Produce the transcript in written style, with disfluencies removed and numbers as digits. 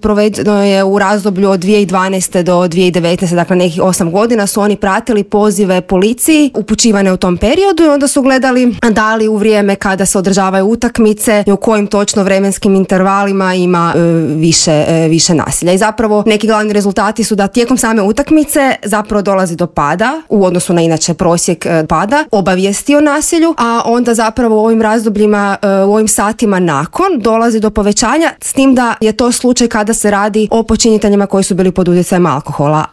provedeno je u razdoblju od 2012. do 2019. dakle nekih 8 godina su oni pratili pozive policiji upućivane u tom periodu i onda su gledali da li u vrijeme kada se održavaju utakmice i u kojim točno vremenskim intervalima ima više nasilja. I zapravo neki glavni rezultati su da tijekom same utakmice zapravo dolazi do pada u odnosu na inače prosjek pada, obavijesti o nasilju, a onda zapravo u ovim razdobljima, u ovim satima nakon dolazi do povećanja, s tim da je to slučaj kada se radi o počiniteljima koji su bili pod utjecajem alkohola.